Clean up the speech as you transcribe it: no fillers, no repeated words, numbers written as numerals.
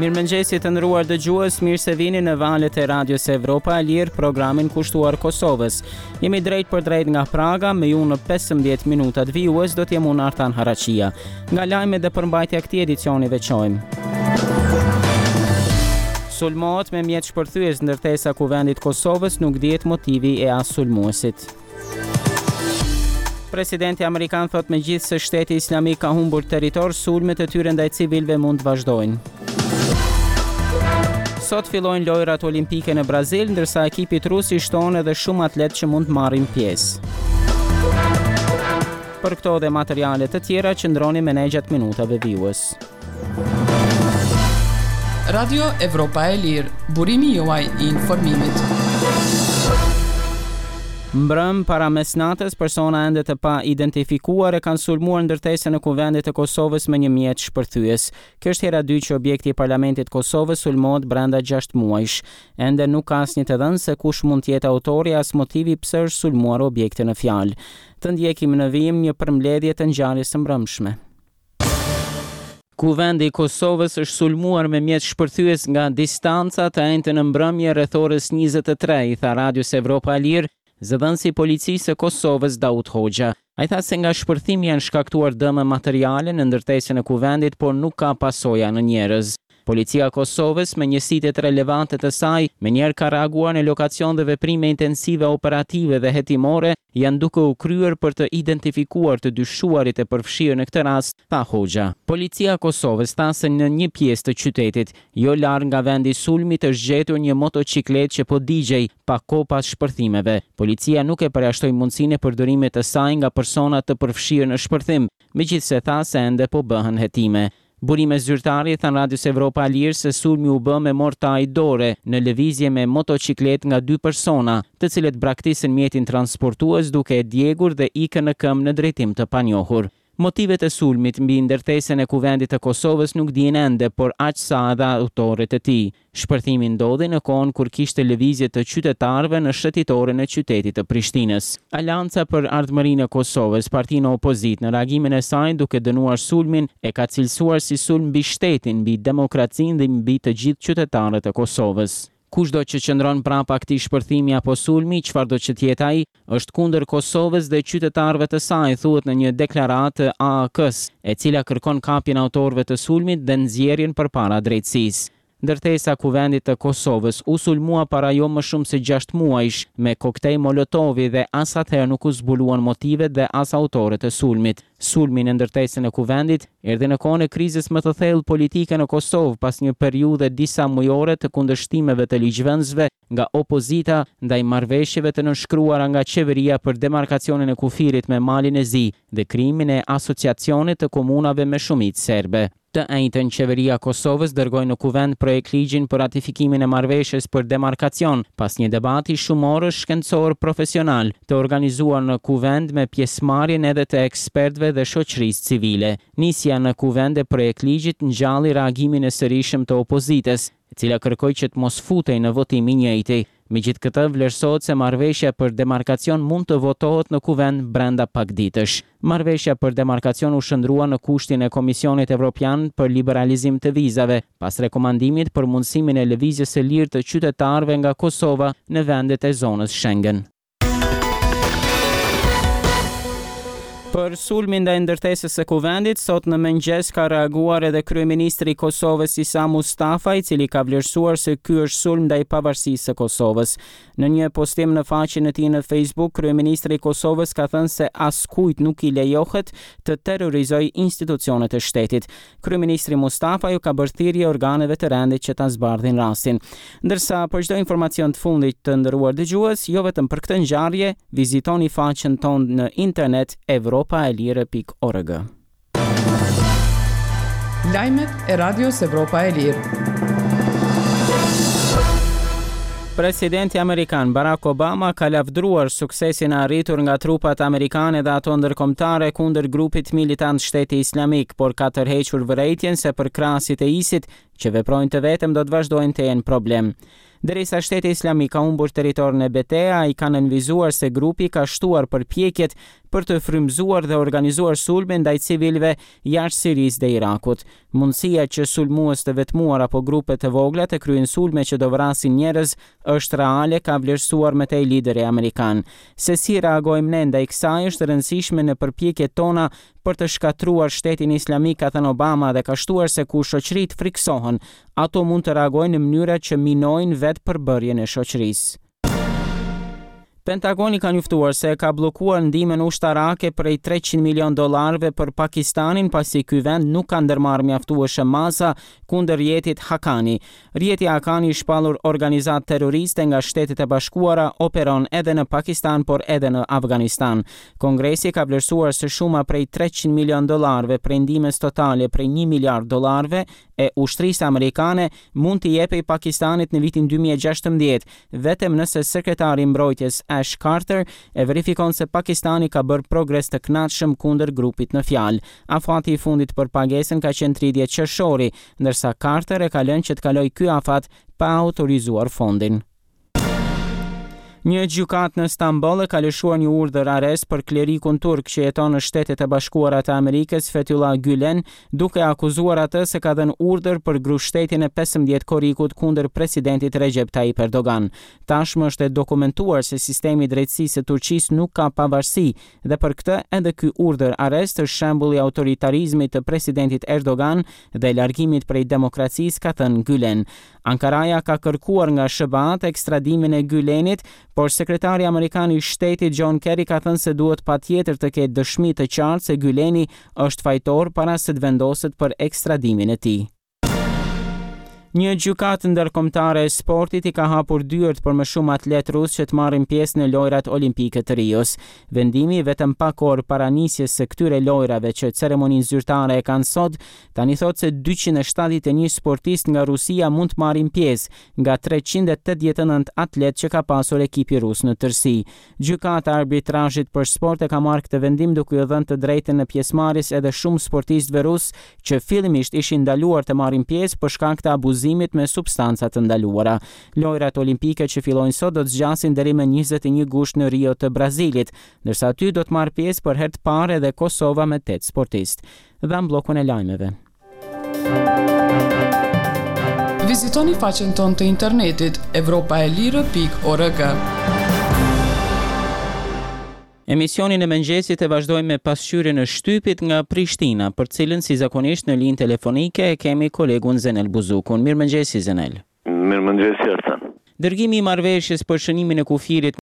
Mirëmëngjesi të nderuar dëgjues, mirë se vini në valët e Radios Evropa e Lirë, programin kushtuar Kosovës. Jemi drejtpërdrejt nga Praga, me ju në 15 minutat vijues do të jem unë Artan Haraqia. Nga lajmet dhe përmbajtja e këtij edicioni veçojmë. Sulmohet me mjet shpërthyes ndërtesa e Kuvendit të Kosovës, nuk dihet motivi e as sulmuesit. Presidenti amerikan thotë megjithëse shteti islamik ka humbur territor, sulmet e tyre ndaj civilëve mund të vazhdojnë. Sot fillojnë lojërat olimpike në Brazil, ndërsa ekipit rus i shtohen edhe shumë atletë që mund të marrin pjesë. Për këto dhe materiale të tjera qëndroni me ne gjatë minutave vijues. Radio Evropa e Lirë, burimi juaj i informimit. Mbrëmë para mesnatës, persona ende të paidentifikuar e kanë sulmuar ndërtesën e Kuvendit të Kosovës me një mjet shpërthyes. Kjo është hera e dytë që objekti i Parlamentit të Kosovës sulmohet brenda 6 muajsh. Ende nuk ka asnjë të dhënë se kush mund të jetë autori as motivi pse është sulmuar objekti në fjalë. Të ndjekim në vijim një përmbledhje të ngjarjes së mbrëmshme. Kuvendi i Kosovës është sulmuar me mjet shpërthyes nga distanca të enjten në mbrëmje rreth orës 23, i tha Radios Evropa e Lirë, zëdhënësi i Policisë së Kosovës, Daut Hoxha. Ai tha se nga shpërthimi janë shkaktuar dëme materiale në ndërtesën e Kuvendit, por nuk ka pasoja në njerëz. Policia e Kosovës, me njësitet relevante të saj, menjëherë ka reaguar në lokacion dhe veprime intensive operative dhe hetimore janë duke u kryer për të identifikuar të dyshuarit e përfshirë në këtë rast, tha Hoxha. Policia e Kosovës tha se në një pjesë të qytetit, jo larg nga vendi i sulmit është gjetur një motoçikletë që po digjej pak kohë pas shpërthimeve. Policia nuk e përjashtoi mundësinë e përdorimit të saj nga persona të përfshirë në shpërthim, megjithëse tha se ende po bëhen hetime. Burime zyrtare i thanë Radios Evropa e Lirë se sulmi u bë me mortajë dore, në lëvizje me motoçikletë nga dy persona, të cilët braktisën mjetin transportues duke e djegur dhe ikën në këmbë në drejtim të panjohur. Motivet e sulmit mbi ndërtesën e Kuvendit të Kosovës nuk dihen ende, por aq sa edhe autorët e tij. Shpërthimi ndodhi në kohën kur kishte lëvizje të qytetarëve në shëtitoren e qytetit të Prishtinës. Aleanca për Ardhmërinë e Kosovës, parti në opozitë, në reagimin e saj duke dënuar sulmin, e ka cilësuar si sulm mbi shtetin, mbi demokracinë dhe mbi të gjithë qytetarët e Kosovës. Kushdo që qëndron prapa këtij shpërthimi apo sulmi, çfarëdo që të jetë ai, është kundër Kosovës dhe qytetarëve të saj, thuhet në një deklaratë të AAK-së, e cila kërkon kapjen e autorëve të sulmit dhe nxjerrjen përpara drejtësisë. Ndërtesa e Kuvendit të Kosovës u sulmua para jo më shumë se gjashtë muajsh me koktej molotovi dhe as atëherë nuk u zbuluan motivet dhe as autorët e sulmit. Sulmi në ndërtesën e Kuvendit erdhi në kohën e krizës më të thellë politike në Kosovë pas një periudhe disa mujore të kundërshtimeve të ligjvënësve nga opozita ndaj marrëveshjeve të nënshkruara nga qeveria për demarkacionin e kufirit me Malin e Zi dhe krijimin e Asociacionit të komunave me shumicë serbe. Të enjten Qeveria e Kosovës dërgoi në Kuvend projektligjin për ratifikimin e marrëveshjes për demarkacion, pas një debati shumorësh shkencor profesional, të organizuar në Kuvend me pjesëmarrjen edhe të ekspertëve dhe shoqërisë civile. Nisja në Kuvend e projektligjit ngjalli reagimin e sërishëm të opozitës, e cila kërkoi që të mos futej në votim i njëjti. Megjithëkëtë, vlerësohet se marrëveshja për demarkacion mund të votohet në Kuvend brenda pak ditësh. Marrëveshja për demarkacion u shndërrua në kushtin e Komisionit Evropian për liberalizim të vizave, pas rekomandimit për mundësimin e lëvizjes së lirë të qytetarëve nga Kosova në vendet e zonës Schengen. Për sulmin ndaj ndërtesës së Kuvendit, sot në mëngjes ka reaguar edhe kryeministri i Kosovës Isa Mustafa, i cili ka vlerësuar se ky është sulm ndaj pavarësisë së Kosovës. Në një postim në faqen e tij në Facebook, kryeministri i Kosovës ka thënë se askujt nuk i lejohet të terrorizojë institucionet e shtetit. Kryeministri Mustafa ju ka bërë thirrje organeve të rendit që ta zbardhin rastin. Ndërsa për çdo informacion të fundit të nderuar dëgjues, jo vetëm për këtë ngjarje, vizitoni faqen tonë në internet evropaelire.org. Lajmet e Radios Evropa e Lirë. Presidenti amerikan Barack Obama ka lavdëruar suksesin e arritur nga trupat amerikane dhe ato ndërkombëtare kundër grupit militant Shteti Islamik, por ka tërhequr vërejtjen se përkrahësit e ISIS-it që veprojnë të vetëm do të vazhdojnë të jenë problem. Derisa Shteti Islamik ka humbur territor në beteja, ai ka nënvizuar se grupi ka shtuar përpjekjet për të frymëzuar dhe organizuar sulme ndaj civilëve jashtë Sirisë dhe Irakut. Mundësia që sulmues të vetmuar apo grupe të vogla të kryejnë sulme që do vrasin njerëz është reale, ka vlerësuar më tej lideri amerikan. Se si reagojmë ne ndaj kësaj është e rëndësishme në përpjekjet tona për të shkatërruar Shtetin Islamik, ka thënë Obama dhe ka shtuar se kur shoqëritë frikësohen, ato mund të reagojnë në mënyra që minojnë vetë përbërjen e shoqërisë. Pentagoni ka njoftuar se e ka bllokuar ndihmën ushtarake prej 300 milionë dollarëve për Pakistanin pasi ky vend nuk ka ndërmarrë mjaftueshëm masa kundër rrjetit Haqqani. Rrjeti Haqqani i shpallur organizatë terroriste nga Shtetet e Bashkuara operon edhe në Pakistan por edhe në Afganistan. Kongresi ka vlerësuar se shuma prej 300 milionë dollarëve prej ndihmës totale prej 1 miliard dollarëve e ushtrisë amerikane mund t'i jepej Pakistanit në vitin 2016, vetëm nëse sekretari i mbrojtjes Ash Carter e verifikon se Pakistani ka bërë progres të kënaqshëm kundër grupit në fjalë. Afati i fundit për pagesën ka qenë 30 qershori, ndërsa Carter e ka lënë që të kalojë ky afat pa autorizuar fondin. Një gjykatë në Stamboll e ka lëshuar një urdhër arrest për klerikun turk që jeton në Shtetet e Bashkuara të Amerikës, Fethullah Gülen, duke akuzuar atë se ka dhënë urdhër për grushtshtetin e 15 korrikut kundër presidentit Recep Tayyip Erdogan. Tashmë është e dokumentuar se sistemi i drejtësisë së Turqisë nuk ka pavarësi dhe për këtë edhe ky urdhër arrest është shembull i autoritarizmit të presidentit Erdogan dhe largimit prej demokracisë, ka thënë Gülen. Ankaraja ka kërkuar nga SHBA-të ekstradimin e Gylenit, por sekretari amerikan i Shtetit John Kerry ka thënë se duhet patjetër të ketë dëshmi të qartë se Gyleni është fajtor para se të vendoset për ekstradimin e tij. Një gjykatë ndërkombëtare e sportit i ka hapur dyert për më shumë atletë rusë që të marrin pjesë në Lojërat Olimpike të Rios. Vendimi, vetëm pak orë para nisjes së këtyre lojërave që ceremoninë zyrtare e kanë sot, Tani thotë se 271 sportistë nga Rusia mund të marrin pjesë, nga 389 atletë që ka pasur ekipi rus në tërësi. Gjykata e Arbitrazhit për Sport e ka marrë këtë vendim duke iu dhënë të drejtën e pjesëmarrjes edhe shumë sportistëve rusë që fillimisht ishin ndaluar të marrin pjesë për shkak të abuzimit me substanca të ndaluara. Lojërat Olimpike që fillojnë sot do të zgjasin deri më 21 gusht në Rio të Brazilit, ndërsa aty do të marrë pjesë për herë të parë edhe Kosova me 8 sportistë. Dhamë bllokun e lajmeve. Vizitoni faqen tonë të internetit evropaelire.org. Emisionin e mëngjesit e vazhdojmë me pasqyrën e shtypit nga Prishtina, për të cilën si zakonisht në linjë telefonike e kemi kolegun Zenel Buzukun. Mirëmëngjesi Zenel. Mirëmëngjesi Artan. Dërgimi i marrëveshjes për shënimin e kufirit.